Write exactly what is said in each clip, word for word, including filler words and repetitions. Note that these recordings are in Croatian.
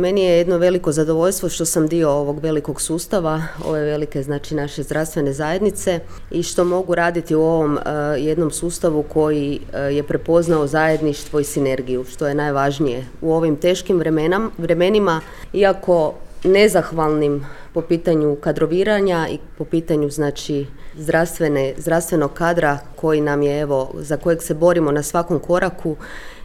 meni je jedno veliko zadovoljstvo što sam dio ovog velikog sustava, ove velike znači naše zdravstvene zajednice i što mogu raditi u ovom uh, jednom sustavu koji uh, je prepoznao zajedništvo i sinergiju, što je najvažnije u ovim teškim vremenam, vremenima, iako nezahvalnim po pitanju kadroviranja i po pitanju znači zdravstvene, zdravstvenog kadra koji nam je evo, za kojeg se borimo na svakom koraku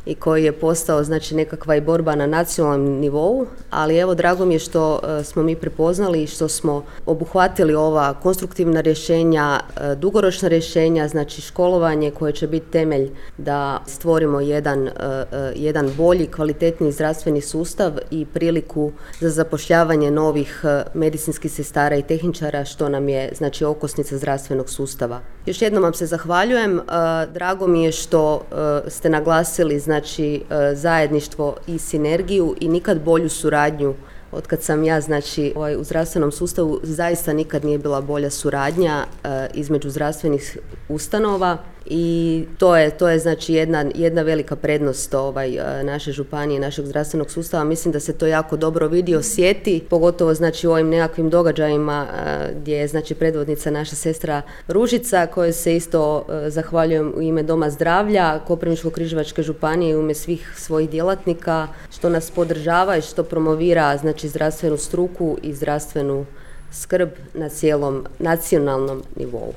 i koji je postao znači nekakva i borba na nacionalnom nivou, ali evo drago mi je što uh, smo mi prepoznali i što smo obuhvatili ova konstruktivna rješenja, uh, dugoročna rješenja, znači školovanje koje će biti temelj da stvorimo jedan, uh, uh, jedan bolji, kvalitetniji zdravstveni sustav i priliku za zapošljavanje novih uh, medicinskih sestara i tehničara, što nam je znači okosnica zdravstvenog sustava. Još jednom vam se zahvaljujem, uh, drago mi je što uh, ste naglasili znači znači zajedništvo i sinergiju i nikad bolju suradnju. Od kad sam ja znači ovaj, u zdravstvenom sustavu zaista nikad nije bila bolja suradnja uh, između zdravstvenih ustanova i to je, to je znači jedna, jedna velika prednost ovaj, uh, naše županije, našeg zdravstvenog sustava. Mislim da se to jako dobro vidi, osjeti, pogotovo znači u ovim nekakvim događajima uh, gdje je znači predvodnica naša sestra Ružica, kojoj se isto uh, zahvaljujem u ime Doma zdravlja Koprivničko-križevačke županije i u ime svih svojih djelatnika što nas podržava i što promovira znači zdravstvenu struku i zdravstvenu skrb na cijelom nacionalnom nivou.